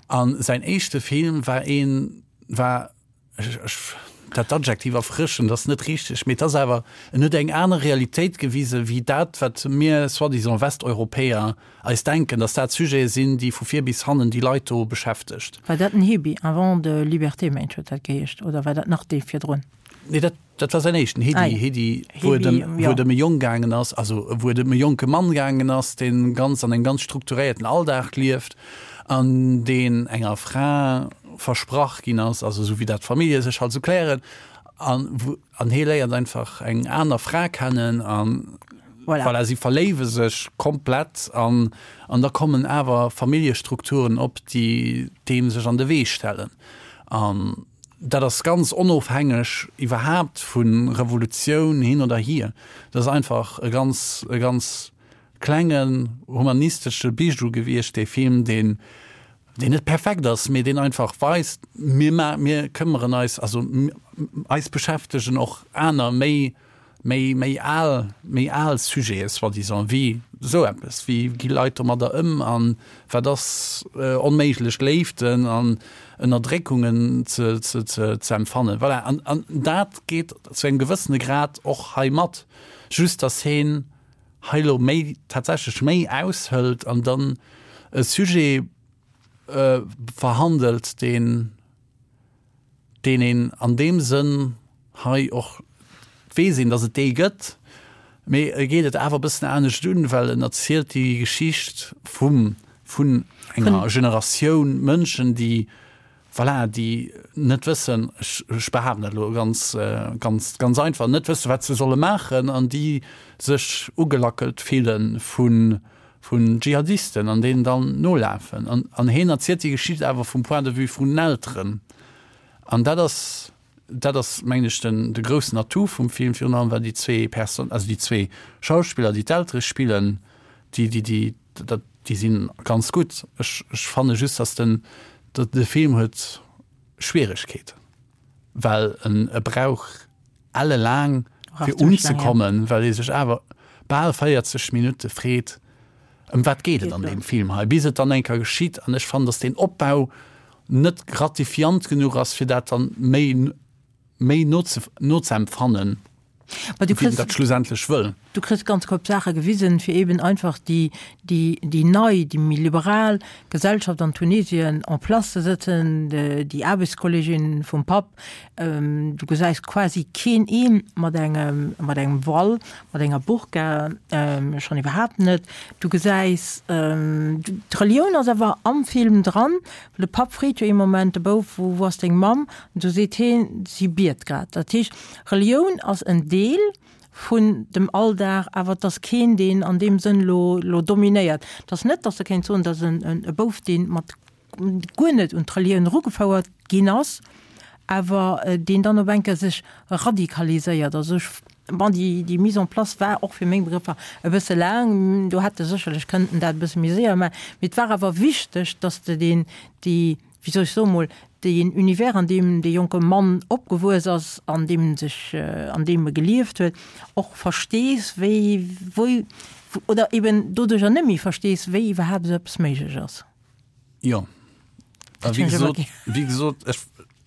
G: A säin éischte Film war een war Ech, ech, dat Adjektiv erfrëschend ass net richteg, mee et ass awer, en huet eng aner Realitéit gewisen, wéi dat, wat mir soi-disant Westeuropäer eis denken, dass dat Sujete sinn, déi vu vir bis hannen déi Leit do beschäftegt.
A: War dat den Hebi, Un vent de liberté, mengt ech huet dat geheescht, oder war dat nach dee virdrun?
G: Nee, dat, dat war säin éischten, Hedi, ah, ja. Hedi, wou et ëm, wou et ëm e Jong gaangen ass, also wou et ëm e jonke Mann gaangen ass, deen ganz an engem ganz strukturéierten Alldag lieft an deen enger Fra versprach ginn ass, also esou wéi dat d'Famillje sech halt esou klären, an wou, an hie léiert einfach eng aner Fra kennen an voilà. Voilà, si verléiwe sech komplett an, an da kommen awer Familljestrukturen op, déi deem sech an de Wee stellen. An Dat ass ganz onofhängeg iwwerhaapt vu Revolutioun hin oder hier. Dat ass einfach e ganz, e ganz klengen humanistesche Bijou gewiescht, dee Film, deen, deen net perfekt ass, mee deen einfach weist, mir ma, mir këmmeren eis, also eis beschäftegen och aner méi méi méi al méi al Sujete soi-disant wéi esou eppes, wéi gi Leit domadder ëm an wat ass onméiglech Léiften an Ënnerdréckungen ze ze ze ze empfannen. Voilà, an an dat geet zu engem gewëssene Grad och hei mat, just datt heen hei elo méi tatsächlech méi aushëlt an dann e Sujet verhandelt, deen deen een an deem Sënn hei och, et weess een, datt et dee gëtt, mee e geet et awer e bëssen anescht un, well en erzielt déi Geschicht vum, vun enger Generatioun Mënschen, déi, voilà, déi net wëssen, ech, ech behaapten dat elo ganz, ganz, ganz einfach, net wëssen, wat se solle maachen an déi sech ugelackelt fille vun, vun Dschihadisten an deenen dann nolafen. An, an hien erzielt déi Geschicht awer vum Point de vue vun den Elteren. An dat ass, dat ass mengen ech den, de groussen Atout vum Film, virun allem well déi zwee Perso-, also déi zwee Schauspiller, déi d'Eltere spillen, déi, déi, déi, dat, déi si ganz gutt. Ech, ech fanne just, datt den, de Film huet Schwieregkeeten, well en, e brauch ellelaang fir unzekommen, well ee sech awer bal 40 Minutte freet, ëm wat geet et an deem Film hei, bis et dann eng Kéier geschitt. An ech fannen, datt deen Opbau net gratifiant genuch ass, fir dat dann méi méi nozeempfannen, wéi en dat schlussendlech wëll.
A: Du kriss ganz Koup Saache gewisen, fir eben einfach déi, déi, déi nei, déi méi liberal Gesellschaft an Tunesien en place ze sëtzen, déi Aarbechtskollegin vum Papp, Du gesäis quasi keen een mat engem, mat engem Voile, mat enger Burka, schonn iwwerhaapt net. Du gesäis, d'Relioun ass awer am Film dran, well de Papp freet jo ee Moment de Bouf, wou, wou ass deng Mamm? An du seet heen, si biet grad. Dat heescht, Relioun ass en Deel. Vun dem Alldag, awer et ass keen, deen an deem Sënn elo, elo dominéiert. Et ass net, datt e kéint soen, datt en e Bouf, dee mat guer net un d'Relioun erugefouert ginn ass, awer deen dann op eng Kéier sech radikaliséiert. Also ech, bon, déi, déi Mise en place war och fir meng Begrëffer e bësse laang, do hätt e sécherlech kënnten dat e bësse méi séier maachen, mee et war awer wichteg, datt de deen, déi, wéi soll ech soen, mol deen Univers, an deem dee jonke Mann opgewuess ass, an deem en sech, an deem e gelieft huet, och verstees, wéi, wou, oder eben doduercher net méi verstees, wéi iwwerhaapt esou eppes méiglech ass.
G: Jo. A wéi gesot, wéi gesot, ech,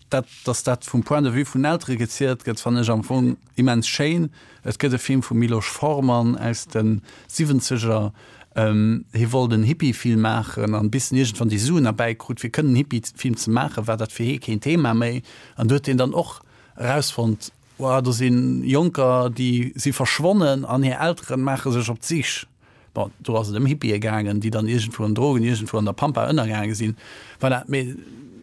G: dat, dass dat vum Point de vue vun Eltere gezielt gëtt, fannen ech am Fong immens schéin. Et gëtt e Film vum Miloš Forman aus de Siwwenzeger, hie wollt en Hippie-Film maachen an bis en iergendwann déi Suen erbäi krut fir kënnen en Hippie-Film ze maachen, war dat fir hie keen Thema méi. An du huet hien dann och erausfonnt, Wow, do si Jonker, déi si verschwonnen an hir Eltere maache sech op d'Sich. Bon, do ass et ëm Hippië gaangen, déi dann iergendwou an Drogen, iergendwou an der Pampa ënnergaange sinn. Voilà, mee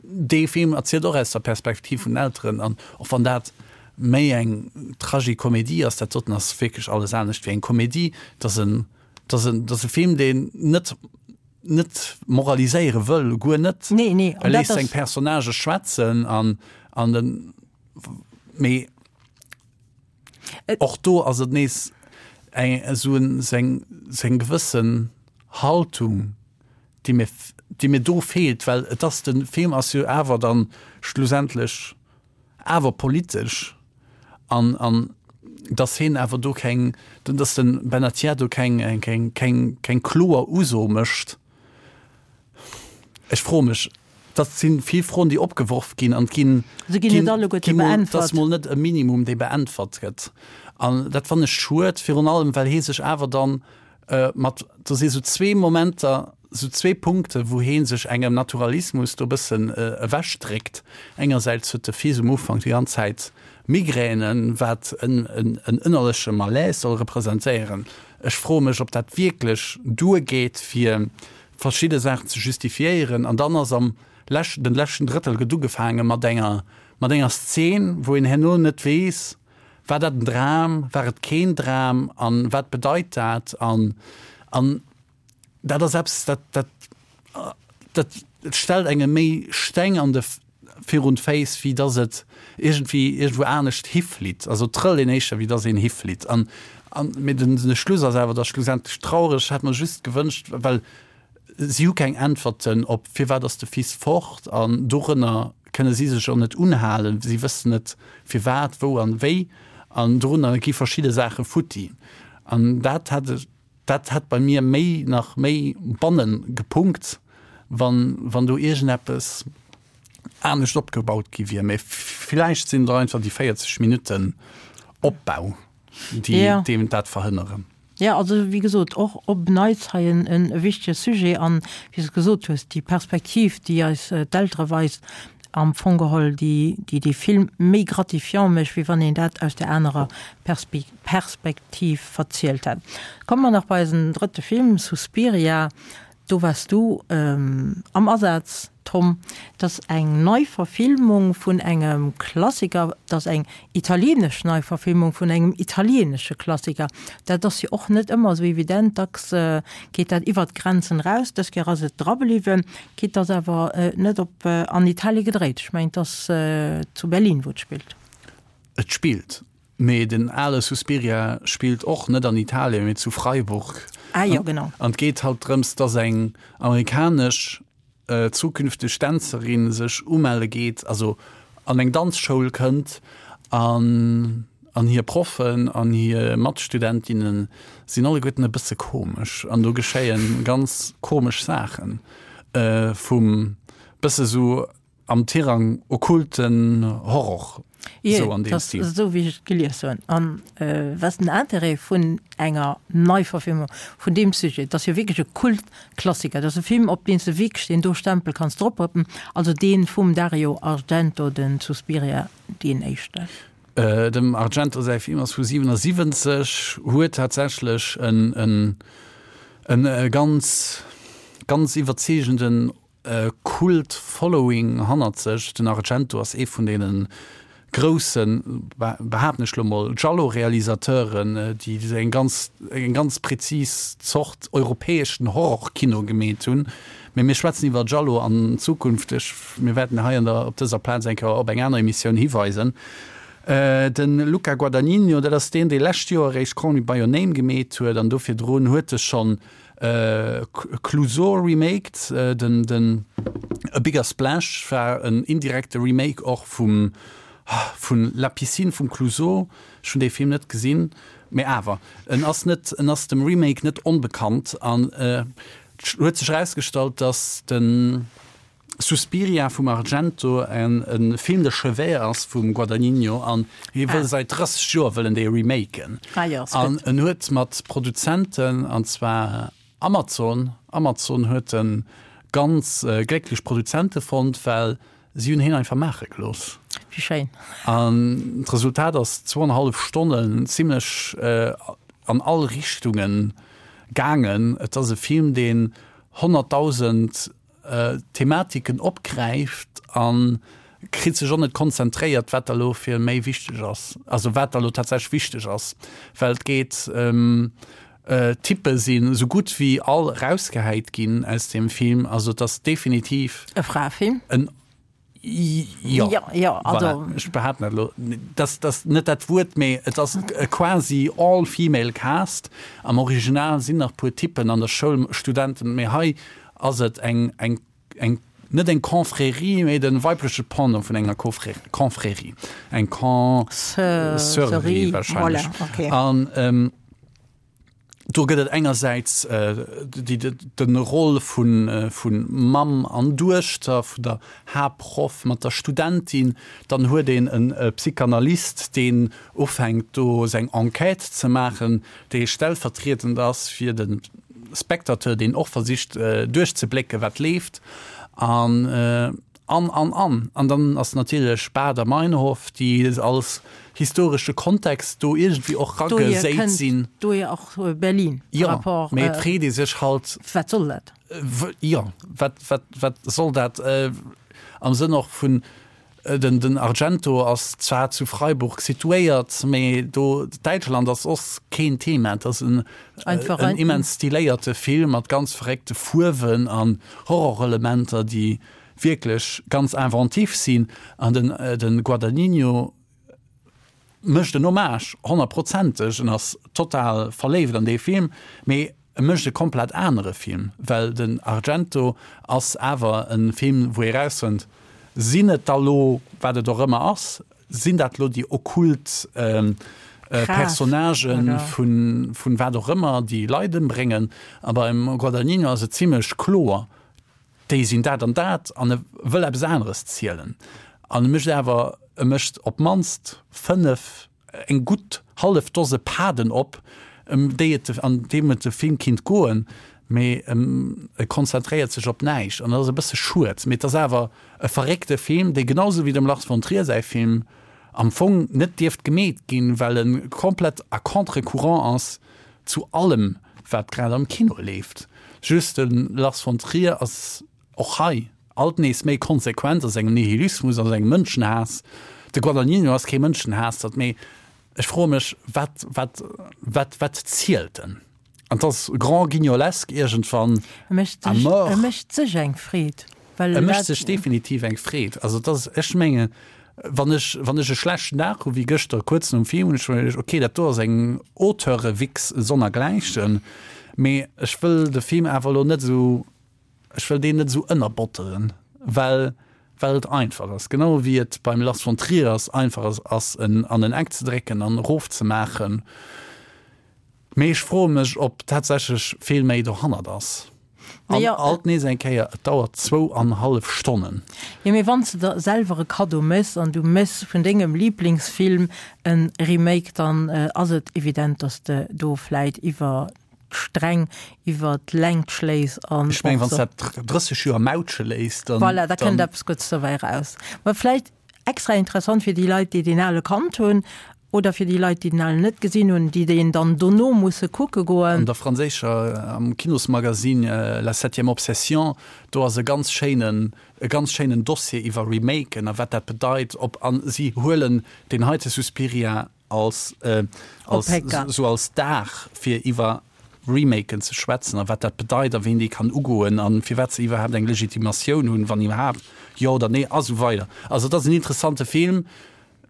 G: dee Film erzielt och aus der Perspektiv vun den Elteren an och wann dat méi eng Tragikomedie ass, dat doten ass wierklech alles anescht wéi eng Komedie, et ass en, et ass en, et ass e Film, deen net, net moraliséiere wëll, guer net.
A: Nee, nee,
G: E léisst seng Personnagë schwätzen an, an den, mee Och do ass et nees eng esou en seng seng gewëssen Haltung, déi mir déi mir do feelt, well et ass de Film ass jo awer dann schlussendlech awer politesch an an dass heen awer do keng dass den Ben-Attia do keng keng keng keng kloer Uso mécht. Ech froe mech, dat si vill Froen, déi opgeworf ginn an ginn,
A: Se ginn net alleguerte beäntwert.
G: Dat ass mol net e Minimum, dee beäntwert gëtt. An dat fannen ech schued, virun allem well hee sech awer dann mat, do si sou zwee Momenter, sou zwee Punkte wou hee sech engem Naturalismus do e bëssen ewechdréckt. Engersäits huet de Fils um Ufank déi ganz Zäit Migränen, wat en ënnerleche Malaise soll representéieren. Ech froe mech, ob dat wierklech duergeet, fir verschidde Saachen ze justifiéieren. An dann ass am leschten, den leschten Drëttel gëtt ugefaange mat enger, mat enger Szen, wou een herno net weess, war dat en Dram, war et keen Dram an wat bedeit dat? An, an dat ass eppes, dat, dat, dat stellt engem méi Steng an de virun d'Féiss, wéi dass et iergendwéi iergendwou anescht hiflitt. Also et trëllt een éischter, wéi dass een hiflitt. An, an, mee den, de Schluss ass awer da schlussendlech traureg. Ech hätt mer just gewënscht, well si hu keng Äntwerten op firwat ass de Fils fort an dorënner kënne si sech och net unhalen. Si wëssen net firwat, wou an wéi an dorunner gi verschidde Saache futti. An dat hätt ech, Dat hätt bei mir méi nach méi bannen gepunkt, wann wann do iergendeppes anescht opgebaut gi wier. Mee villäicht sinn et och einfach déi 40 Minutten Opbau, déi deem dat verhënneren.
A: Jo, also wéi gesot, och op Neits hei en e wichtege Sujet. An wéi s de gesot hues, déi Perspektiv, déi eis d'Eltere weist, am Fong geholl, déi déi dee Film méi gratifiant mécht, wéi wann een dat aus där anerer Perspektiv Perspektiv verzielt hat. Komme mer nach bei eisen drëtte Film, Suspiria. Do waars du am Asaz, Tom. Dat ass eng Neiverfilmung vun engem Klassiker. Dat ass eng italienesch Neiverfilmung vun engem italienesche Klassiker. Dat ass jo och net ëmmer esou evident. Dacks geet dat iwwert d'Grenzen eraus. Dës Kéier ass et dra bliwwen. Quitte dass awer net op an Italie gedréit. Ech mengen, et ass zu Berlin, wou et spillt.
G: Et spillt Mee den ale Suspiria spillt och net an Italien, mee zu Freiburg.
A: Ah jo, genau.
G: An et geet halt drëms, dass eng amerikanesch zukünfteg Dänzerin sech umelle geet, also an eng Danzschoul kënnt an an hir Proffen an hir Matstudentinne sinn alleguerten e bësse komesch an do geschéie ganz komesch Saachen, vum bësse sou am Tirang okkulten Horror,
A: sou an deem Stil. Esou wéi ech et gelies hunn. An wat ass den Intérêt vun enger Neiverfilmung vun deem Sujet? Et ass jo wierklech e Kultklassiker. Et ass e Film, op deen s de wierklech deen do Stempel kanns droprëppen, also dee vum Dario Argento, den Suspiria, deen éischten.
G: Dem Argento säi Film ass vu 77, huet tatsächlech en e ganz, ganz iwwerzeegenden Kult Following hannert sech. Den Argento ass ee vun deene groussen, behaapten ech lo mol, Giallo-Realisateuren, déi eng ganz, eng ganz präzis Zort europäeschen Horrorkino gemeet hunn. Mee mir schwätzen iwwer Giallo an Zukunft. Ech, mir wäerten hei an der, op dëser Plaz eng Kéier op eng aner Emissioun hiweisen. De Luca Guadagnino, dat ass deen, dee lescht Joer eréischt Call Me By Your Name gemeet huet an do virdrun huet e schonn Clouseau remaked, den, den A Bigger Splash war en indirekte Remake och vum, vun La Piscine vum Clouseau. Ech hunn dee Film net gesinn, mee awer, en ass net, en ass dem Remake net onbekannt an et huet sech erausgestallt, datt den Suspiria vum Argento en Film de chevet ass vum Guadagnino an hie wëll säit 30 Joer wëll en dee remaken. An en huet mat Produzenten, an zwar Amazon, Amazon huet en ganz glécklech Produzente fonnt, well si hunn hien einfach maache gelooss.
A: Wéi schéin.
G: An d'Resultat ass zwouanenhallef Stonnen zimlech an all Richtungen gaangen. Et ass e Film, deen 100.000 Thematiken opgräift a kritt sech och net konzentréiert, wat da lo fir méi wichteg ass, also wat da lo tatsächlech wichteg ass, well et geet, d'Typpe sinn esou gutt wéi all rausgehäit ginn aus deem Film, also et ass definitiv
A: E Fraefilm?
G: en Jo,
A: ja, ja, also
G: voilà. Ech behaapten dat elo, dass dass net dat Wuert, mee et ass e quasi all-female Cast. Am Original sinn nach puer Typen an der Schoul, Studenten, mee hei ass et eng eng eng net eng Confrérie, mee de weibleche Pendant vun enger Confrérie, eng Con-sœurie wahrscheinlech.
A: Voilà, okay.
G: An Do gëtt et engersäits de Roll vu Mamm an Duechter, vun der Haaptproff mat der Studentin. Dann huet een e Psychanalyst, deen ufänkt do seng Enquête ze maachen, dee stellvertriedend ass fir de Spectateur, deen och versicht duerchzeblécken, wat leeft. An An, an, an. An dann ass natierlech Baader Meinhof, déi als historesche Kontext do iergendwéi och rageséit sinn.
A: Dohier och Berlin
G: par rapport. Jo, mee et freet ee sech halt.
A: Wat soll dat?
G: Jo, wat, wat, wat soll dat? Am Sënn och vun, den, den Argento ass zwar zu Freiburg situéiert, mee do, Däitschland ass och keen Thema. Et ass en, en immens stiléierte Film mat ganz verréckte Fuerwen an Horrorelementer, déi wierklech ganz inventif sinn an den den Guadagnino mécht en Hommage honnertprozenteg, en ass total verléift an dee Film, mee e mécht e komplett anere Film, well den Argento ass awer e Film wou ee rausfënnt, sinn et da lo, wat et och ëmmer ass, sinn dat lo déi okkult Personnagen vun vun wat och ëmmer, déi Leit ëmbréngen a beim Guadagnino ass et zimlech kloer, déi sinn dat an dat an e wëll eppes aneres zielen an e mécht awer, e mécht op d'mannst 5, eng gutt hallef Dose Paden op, ëm déi et, an deem et de Film kinnt goen, mee e konzentréiert sech op näischt an dat ass e bësse schued. Mee et ass awer e verréckte Film, dee genau sou wéi dem Lars von Trier säi Film am Fong net dierft gemeet ginn, well e komplett à contre-courant ass zu allem wat grad am Kino leeft. Just de Lars von Trier ass och hei alt nees méi konsequent a sengem Nihilismus, a sengem Mënschenhaass. De Guadagnino ass kee Mënschenhaassert, mee ech froe mech, wat, wat, wat, wat zielt en? An 't ass grand guignolesque iergendwann
A: à mort. E mécht sech eng Freed.
G: E mécht sech definitiv eng Freed. Also et ass, ech mengen, wann ech, wann ech e schlechten Dag hu wéi gëschter kuerz nom Film, hunn ech mer geduecht, okay, dat do ass eng Auteure-Wichs sonnergläichen, mee ech wëll de Film awer elo net esou, ech wëll deen net esou ënnerbotteren, well, well et einfach ass. Genau wéi et beim Lars von Trier ass, einfach ass, ass en an en Eck ze drécken an erofzemaachen. Mee ech froe mech, ob tatsächlech vill méi dohannert ass. An
A: Naja,
G: alt nees eng Kéier, et dauert zwou an hallef Stonnen.
A: Jo, mee wann s de der selwer e Kaddo méchs an du méchs vun dengem Liblingsfilm e Remake, dann ass et evident, dass de do vläit iwwer d'Sträng, iwwer d'Längt schléis an
G: Ech mengen,
A: och
G: wann s
A: so.
G: dat 30 Joer mautsche léiss, dann,
A: Voilà, da kënnt
G: dann.
A: eppes Guddes dobäi eraus. Mä vläicht extra interessant fir déi Leit, déi deen ale kannt hunn. Oder fir déi Leit, déi den Alen net gesinn hunn, déi deen dann dono musse kucke goen.
G: An der franséischer, am Kinosmagazin La septième obsession, do ass e ganz schéinen, e ganz schéinen Dossier iwwer Remaken a wat dat bedeit, ob, a si huelen deen heite Suspiria als, als, sou als Dag fir iwwer Remaken ze schwätzen a wat dat bedeit a ween déi kann ugoen a firwat se iwwerhaapt eng Legitimatioun hunn, wann iwwerhaapt, jo oder nee a sou weider. Also et ass en interessante Film.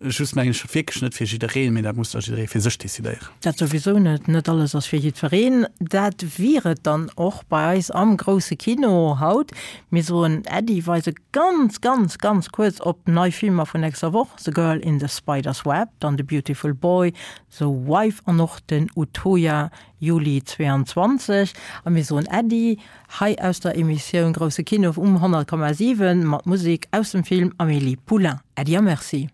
G: Just mengen ech wierklech net fir jiddereen, mee dat muss da jidderee fir sech decidéieren.
A: Dat souwisou net, net alles ass fir jiddwereen. Dat wier et dann och bei eis am grousse Kino haut. Mir soen Äddi, weise ganz, ganz, ganz kuerz op nei Filmer vun nächster Woch, The Girl in the Spider's Web, dann The Beautiful Boy, The Wife an och den Utøya, Juli 22. A mir soen Äddi hei aus der Emissioun Grousse Kino um 100,7 mat Musek aus dem Film Amélie Poulain. Äddi a Merci.